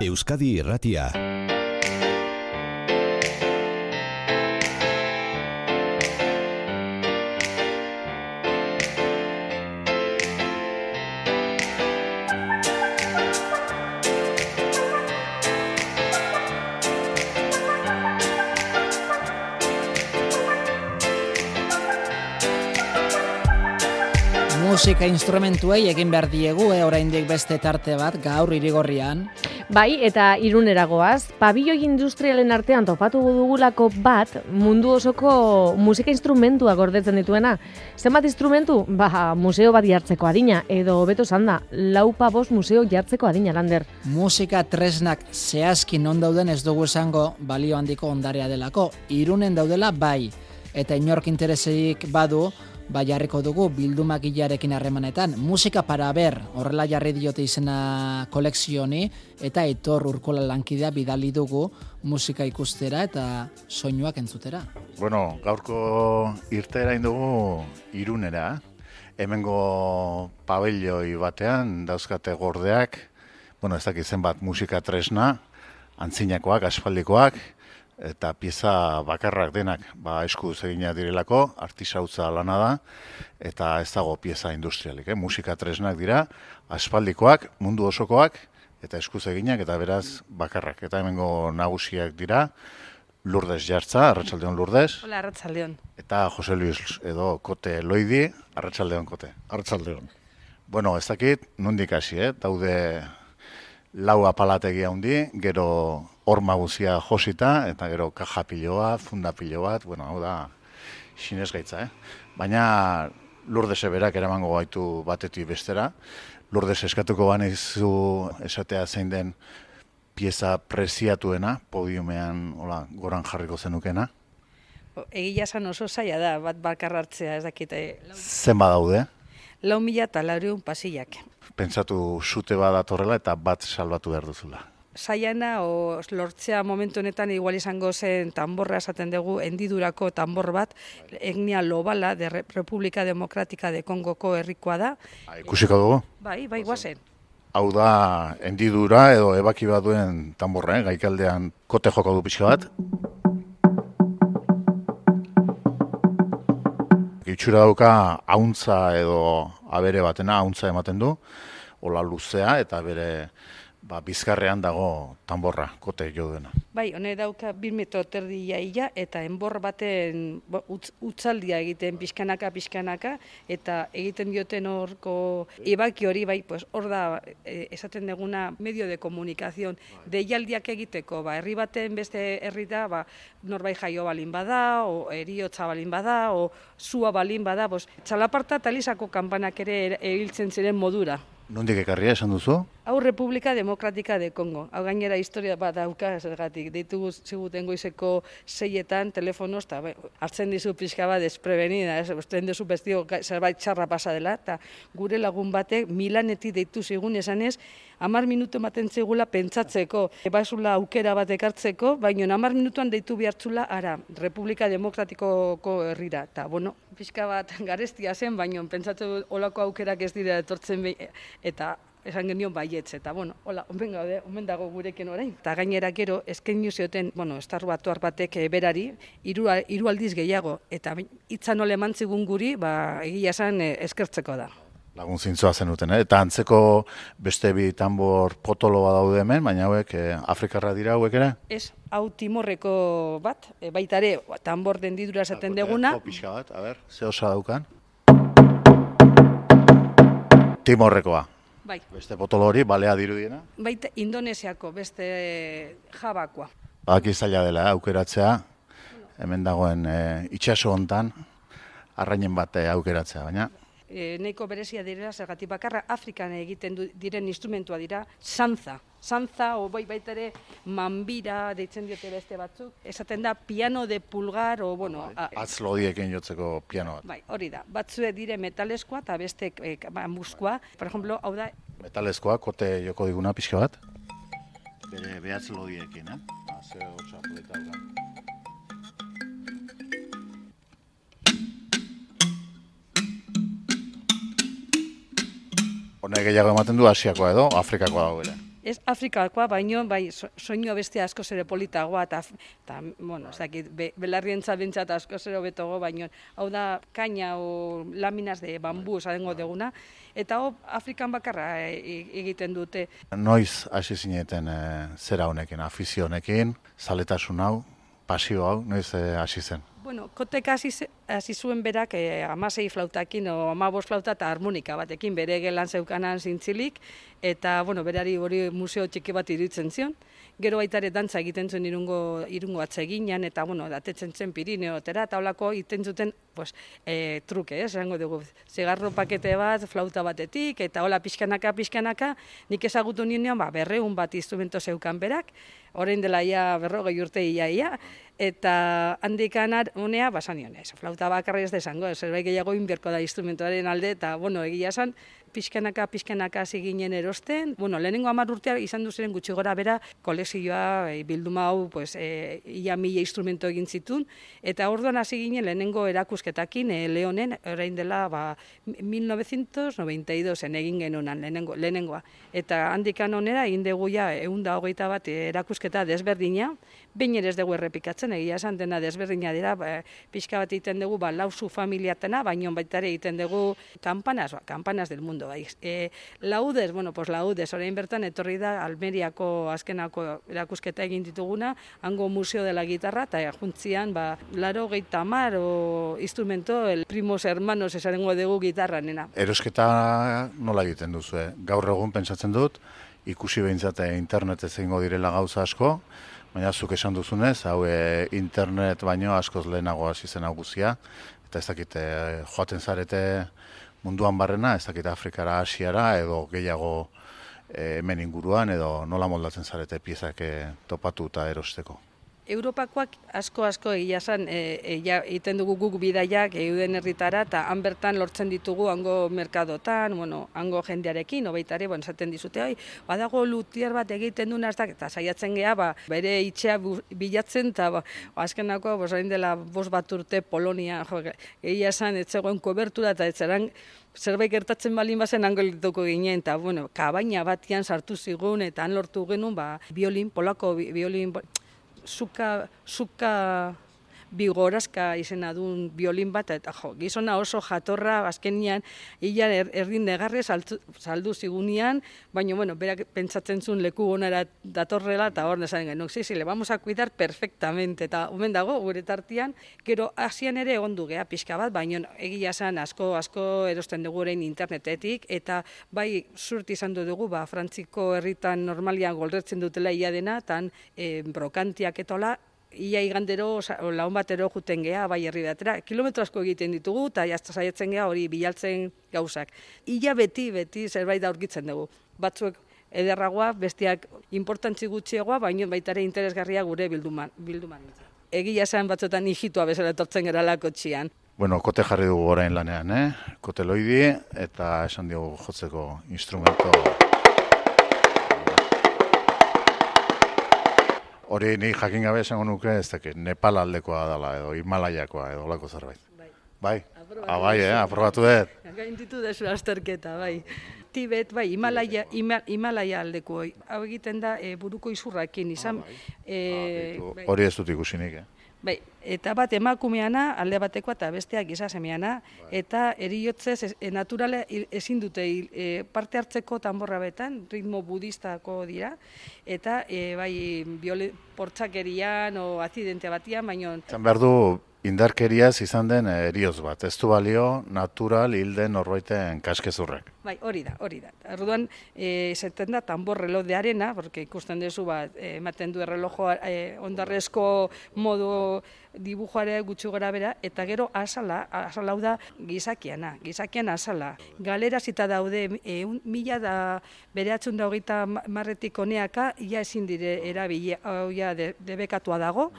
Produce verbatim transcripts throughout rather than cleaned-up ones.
Euskadi Irratia. Musika instrumentuei egin behar diegu, e, oraindik beste tarte bat gaur Irigorrian. Bai, eta Iruneragoaz, pabilloi industrialen artean topatu dugulako bat mundu osoko musika instrumentua gordetzen dituena. Zenbat instrumentu? Ba, museo bat jartzeko adina, edo hobeto zanda, laupa bost museo jartzeko adina, Lander. Musika tresnak zehazki non dauden ez dugu esango balio handiko ondarea delako. Irunen daudela bai, eta inork intereseik badu, ba jarriko dugu bildumagilarekin harremanetan. Musika para ber, horrela jarri diote izena kolekzioni, eta Aitor Urkola lankidea bidali dugu musika ikustera eta soinuak entzutera. Bueno, gaurko irteera indugu Irunera. Hemengo pabelloi batean dauzkate gordeak, bueno, ez dakit zenbat musika tresna, antzinakoak, aspaldikoak, eta pieza bakarrak denak, ba eskuz eginak direlako, artisautza lana da, eta ez dago pieza industrialik, eh? Musika tresnak dira, aspaldikoak, mundu osokoak, eta eskuz eginak, eta beraz bakarrak. Eta hemengo nagusiak dira, Lourdes Jartza, arratsaldeon Lourdes. Hola, arratsaldeon. Eta Jose Luis edo Kote Loidi, arratsaldeon Kote. Arratsaldeon. Bueno, ez dakit, nondik hasi, eh? Daude lau apalategia handi, gero horma guzia josita, eta gero kaja piloa, funda pilo bat, bueno, hau da, xinez gaitza, eh? Baina Lourdes berak eramango gaitu batetik bestera. Lourdes eskatuko banizu esatea zein den pieza preziatuena, podiumean, hola, goran jarriko zenukena. Egia esan oso zaila da, bat bakarra hartzea, ez dakite. Zenba daude? Lau mila eta laureun pasillak. Pentsatu sute bat datorrela eta bat salbatu behar duzula. Zaiana, o lortzea momentu honetan igual izango zen tamborra esaten dugu, hendidurako tambor bat, etnia Lobala, de República Democrática de Kongoko herrikoa da. Ha, ikusiko dugu? Bai, bai, guazen. Hau da, hendidura edo ebaki bat duen tamborra, eh? Gaikaldean kote joko du pixka bat. Itxura dauka hauntza edo abere batena, hauntza ematen du, hola luzea eta bere ba, bizkarrean dago tamborra, kote jo duena. Bai, hone dauka bir metro terdi iaia eta enbor baten utz, utzaldia egiten pixkanaka, pixkanaka, eta egiten dioten horko ebaki hori, bai, pues, hor da e, esaten deguna medio de komunikazion, deialdiak egiteko, ba, herri baten beste herri da, ba, norbait jaio balin bada, o eriotza balin bada, o sua balin bada, pues, txalaparta talizako kanpanak ere erabiltzen ziren modura. Nondik ekarria esan duzu? Hau República Democrática de Congo. Hau gainera historia bat dauka zergatik. Deitugu ziguten goizeko seietan telefonoz, eta hartzen dizu pixka bat desprevenida, ez? Usten duzu bestio zerbait txarra pasa dela, eta gure lagun batek Milanetik deitu zigun esanez, hamar minutu ematen zigula pentsatzeko, ebazula aukera bat ekartzeko, baina hamar minutuan deitu behartzula ara, República Demokratikoko herrira. Eta, bueno, pixka bat garestia zen, baina pentsatu olako aukerak ez dira etortzen behin, eta esan genion baietz, eta, bueno, hola, omen gaude, omen dago gurekin orain. Eta gainera gero, eskeinu zioten, bueno, estar batuar batek berari, hiru hiru aldiz gehiago, eta hitza nola eman zigun guri, ba, egia esan eskertzeko da. Lagun zintzoa zenuten, eh? Eta antzeko beste bi tambor potoloa daude hemen, baina hauek eh, Afrikarra dira hauek ere? Ez, hau Timorreko bat, e, baita ere, tambor dendidura esaten deguna. Pixka bat, a ber, ze osa daukan? Timorrekoa. Bai. Beste potolo hori, balea dirudiena? Baita Indonesiako, beste Javakoa. Baki zaila dela, aukeratzea, hemen dagoen e, itxaso hontan, arrainen bat aukeratzea, baina... E, Neiko berezia direla, zergatik bakarra Afrikan egiten du, diren instrumentua dira, sanza. Sanza, o bai baita ere, manbira, deitzen diote beste batzuk. Esaten da, piano de pulgar, o bueno... Atz lodiekin jotzeko piano bat. Bai, hori da. Batzue dire metaleskoa eta beste e, bambuzkoa. Por ejemplo, hau da... Metalezkoa, kote joko diguna pixka bat. Bere behatz lodiekin, eh? Ba, ze hotza polita dugan. Honek gehiago ematen du Asiakoa edo Afrikakoa dago ere. ez Afrikakoa, baino bai soinu beste asko ere politagoa eta eta bueno, ez dakit be, belarrientza bentsat asko ere hobetogo, baino hau da kaina o laminas de bambu esango deguna eta hau Afrikan bakarra egiten dute. Noiz hasi zineten e, zera honekin, afizio honekin, zaletasun hau, pasio hau, noiz e, hasi zen? Bueno, kotek hasi, hasi zuen berak eh, amasei flautakin o amabos flauta eta harmonika batekin bere gelan zeukanan zintzilik, eta bueno, berari hori museo txiki bat iruditzen zion. Gero baita ere dantza egiten zuen irungo, irungo atseginan, eta bueno, datetzen zen Pirineotera, eta holako egiten zuten pues, e, truke, ez, esango dugu, zigarro pakete bat, flauta batetik, eta hola pixkanaka, pixkanaka, nik ezagutu ninean, ba, berreun bat instrumento zeukan berak, orain dela ia berrogei urte ia ia, eta handikan honea, basan nion, ez, flauta bakarra ez desango, zerbait gehiago inberko da instrumentoaren alde, eta bueno, egia esan, pixkanaka, pixkanaka hasi ginen erosten. Bueno, lehenengo hamar urtea izan du ziren gutxi gora bera kolekzioa, e, bilduma hau, pues, e, ia mila instrumento egin zitun, eta orduan hasi ginen lehenengo erakusketakin, e, Leonen, orain dela, ba, mil novecientos noventa y dos egin genunan lehenengo, lehenengoa. Eta handikan onera, egin dugu ja, ehun eta hogeita bat erakusketa desberdina, behin ere ez dugu errepikatzen, egia esan dena desberdina dira, ba, pixka bat egiten dugu, ba, lauzu familiatena, baino baita ere egiten dugu kampanas, ba, kampanas del mundo. Bai. E, laudes, bueno, pues laudes, orain bertan etorri da Almeriako azkenako erakusketa egin dituguna, hango museo de la gitarra, eta juntzian, ba, laro geita mar, o instrumento, el primos hermanos esarengo dugu gitarra, nena. Erosketa nola egiten duzu, eh? Gaur egun pentsatzen dut, ikusi behintzate internetez egingo direla gauza asko, baina zuk esan duzunez, hau e, internet baino askoz lehenago hasi zen hau guzia, eta ez dakit e, joaten zarete munduan barrena, ez dakit Afrikara, Asiara, edo gehiago e, hemen inguruan, edo nola moldatzen zarete piezak e, topatu eta erosteko. Europakoak asko-asko egia esan egiten dugu guk bidaiak euden herritara eta han bertan lortzen ditugu hango merkadotan, bueno, hango jendearekin, obeitare, bueno, esaten dizute, oi, badago lutier bat egiten duna, eta saiatzen geha, ba, bere itxea bilatzen, eta ba, azkenako, bosain dela bost bat urte Polonia, jo, egia esan, etzegoen kobertura, eta etzeran, zerbait gertatzen balin bazen hango lituko ginen, eta, bueno, kabaina batian sartu zigun, eta han lortu genuen, ba, biolin, polako biolin, Zuka, zuka bigorazka izena duen biolin bat, eta jo, gizona oso jatorra, azkenian, ia er, erdin negarre saldu zigunean, baina, bueno, berak pentsatzen zuen leku onara datorrela, eta hor nesan genuen, sí, sí, le vamos a cuidar perfectamente, eta omen dago, gure tartian, gero asian ere egon du geha pixka bat, baina egia zen asko, asko erosten dugu orain internetetik, eta bai, zurt izan dugu, ba, Frantziko herritan normalian golretzen dutela ia dena, eta e, brokantiak etola, ia igandero, laun batero juten geha, bai herri batera, kilometro asko egiten ditugu, eta jazta saiatzen geha hori bilaltzen gauzak. Ia beti, beti zerbait aurkitzen dugu. Batzuek ederragoa, bestiak importantzi gutxiagoa, baina baita ere interesgarria gure bilduman. bilduman. Egia esan batzuetan hijitua bezala etortzen gara kotxian. Bueno, kote jarri dugu orain lanean, eh? Kote loidi, eta esan diogu jotzeko instrumento. Hori ni jakin gabe esango nuke, ez dakit, Nepal aldekoa dela, edo Himalaiakoa, edo olako zerbait. Bai. Bai? Ah, bai, eh, aprobatu dut. Gainditu dezu azterketa, bai. Tibet, bai, Himalaia, Himalaia aldeko. Hau egiten da e, buruko izurrakin izan. Ah, bai. E, ah, bai. Hori ez dut ikusinik, eh? Bai, eta bat emakumeana, alde batekoa eta besteak gizasemeana, eta eriotzez e, naturale ezin dute e, parte hartzeko tanborra betan, ritmo budistako dira, eta e, bai, biole, portzakerian o azidente batian, baino... Zan behar du, indarkeriaz izan den erioz bat, ez du balio natural hilden norbaiten kaskezurrek. Bai, hori da, hori da. Orduan, e, zeten da tambor reloj de arena, porque ikusten duzu bat, ematen du errelojoa e, ondarrezko modu dibujoare gutxi gora bera, eta gero asala, asala hau da gizakiana, gizakian asala. Galera zita daude, e, un, mila da bereatzun da hogeita marretik honeaka, ia ezin dire erabili, hau ja de, debekatua dago,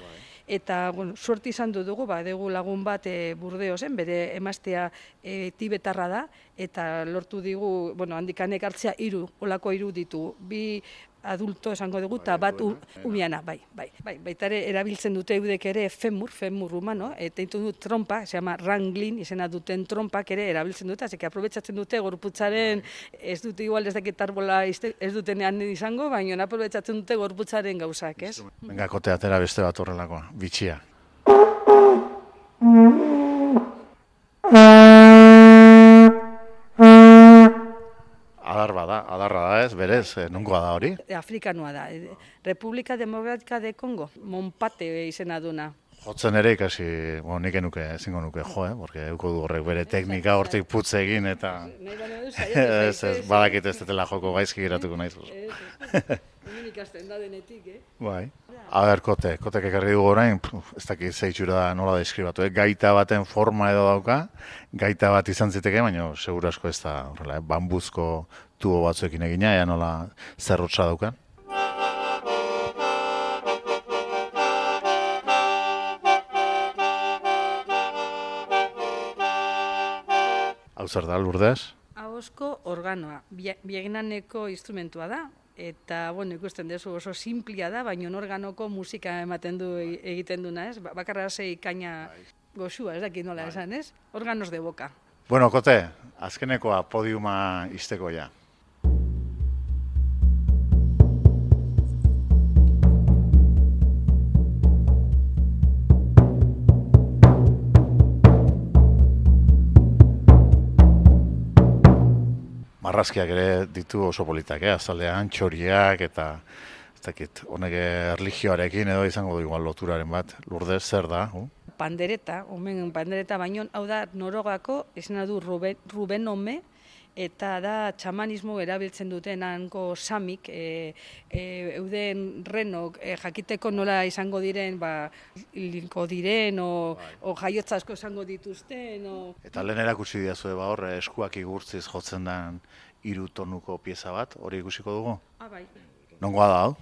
eta bueno, suerte izan dugu, ba, dugu lagun bat e, Burdeosen, bere emaztea e, tibetarra da, eta lortu digu, bueno, handikanek hartzea hiru, olako hiru ditu, bi adulto esango dugu, eta bat u, umiana, bai, bai. Bai, baita ere erabiltzen dute eudek ere femur, femur humano, eta intu du trompa, se llama wrangling, izena duten trompak ere erabiltzen dute, azeke aprobetsatzen dute gorputzaren, ez dute igual ez dakit arbola ez dutenean izango, baina aprobetsatzen dute gorputzaren gauzak, ez? Venga, kote atera beste bat horrelakoa, bitxia. Adar bada, adarra da ez, berez, nungoa da hori? Afrikanoa da, Republika Demokratika de Kongo, Monpate izena duna. Jotzen ere ikasi, bueno, nik enuke, ezingo nuke jo, eh? Porque euko du horrek bere teknika hortik putze egin eta... Ez, ez, badakit ez dela joko gaizki geratuko naiz. Hemen ikasten da denetik, eh? Bai. A ber, kote, kotek ekarri dugu orain, ez dakit zeitxura nola deskribatu, eh? Gaita baten forma edo dauka, gaita bat izan ziteke, baina seguru asko ez da, horrela, eh? Bambuzko tubo batzuekin egina, ea nola zerrotsa daukan. Hau zer da, Lourdes? Ahozko organoa, biegnaneko instrumentua da, eta, bueno, ikusten dezu oso simplia da, baina organoko musika ematen du egiten duna, ez? Bakarra zei kaina goxua, ez dakit nola esan, ez? Organos de boca. Bueno, Kote, azkenekoa podiuma izteko ja. Marrazkiak ere ditu oso politak, eh? Azaldean txoriak eta ez dakit, honek erlijioarekin edo izango du igual loturaren bat. Lourdes, zer da? Uh? Pandereta, omen pandereta baino, hau da Norogako, izena du Ruben, Ruben Ome, eta da txamanismo erabiltzen duten hanko samik, e, e, euden renok e, jakiteko nola izango diren, ba, hilko diren, o, o jaiotza asko izango dituzten. O... Eta lehen erakutsi diazue ba hor, eskuak igurtziz jotzen den hiru tonuko pieza bat, hori ikusiko dugu? Ah, bai. Nongoa da, hau?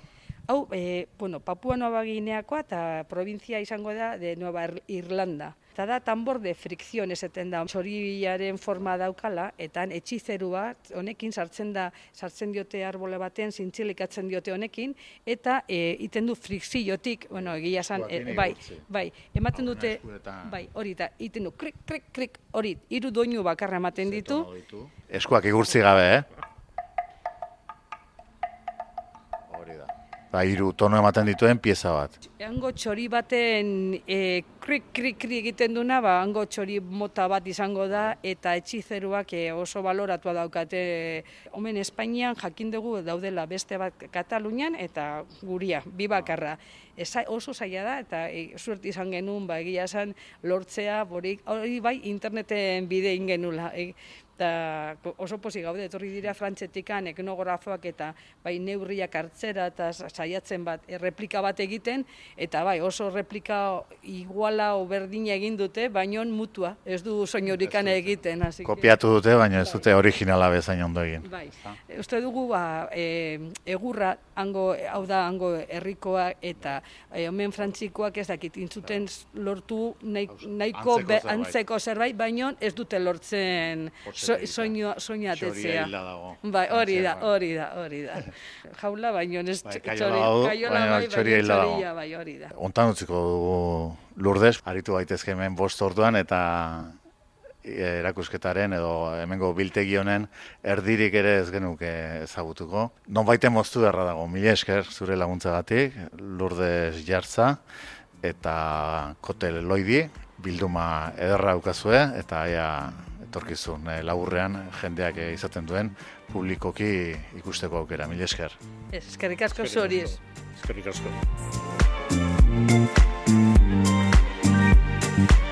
Hau, e, bueno, Papua Nueva Gineakoa eta provintzia izango da de Nueva Irlanda. Eta da tambor de frikzion esaten da, txoriaren forma daukala, eta etxizeru bat, honekin sartzen da, sartzen diote arbole baten, zintzilikatzen diote honekin, eta e, iten du frikziotik, bueno, egia esan, e, bai, bai, ematen dute, bai, hori, eta iten du, krik, krik, krik, hori, hiru doinu bakarra ematen ditu. Eskuak igurtzi gabe, eh? Ba, hiru tono ematen dituen pieza bat. Hango txori baten e, krik, krik, krik egiten duna, ba, hango txori mota bat izango da, eta etxizeruak e, oso baloratua daukate. Omen Espainian jakin dugu daudela beste bat Katalunian eta guria, bi bakarra. Eza, oso zaila da, eta e, suert izan genuen, ba, egia esan lortzea, borik, hori bai interneten bide ingenula. E, eta oso pozik gaude, etorri dira frantzetikan etnografoak eta bai neurriak hartzera eta saiatzen bat, erreplika bat egiten, eta bai oso replika iguala o berdina egin dute, baino mutua, ez du soinorikan egiten. Así kopiatu dute, baina ez dute originala bezain ondo egin. Bai, uste dugu ba, e, egurra, hango, hau da hango herrikoa eta e, omen frantzikoak ez dakit, intzuten lortu nahiko antzeko, antzeko zerbait, baino ez dute lortzen soinu soinu atetzea. Bai, hori da, hori da, hori da. Jaula baino ez kaiola bai, txoria bai, hori da. Hontan utziko dugu Lourdes, aritu gaitezke hemen bost orduan eta erakusketaren edo hemengo biltegi honen erdirik ere ez genuke ezagutuko. Nonbaiten moztu beharra dago, mila esker zure laguntzagatik, Lourdes Jartza eta Kote Loidi, bilduma ederra daukazue eta aia etorkizun laburrean jendeak izaten duen publikoki ikusteko aukera. Mila esker. Eskerrik asko zuri. Eskerrik asko.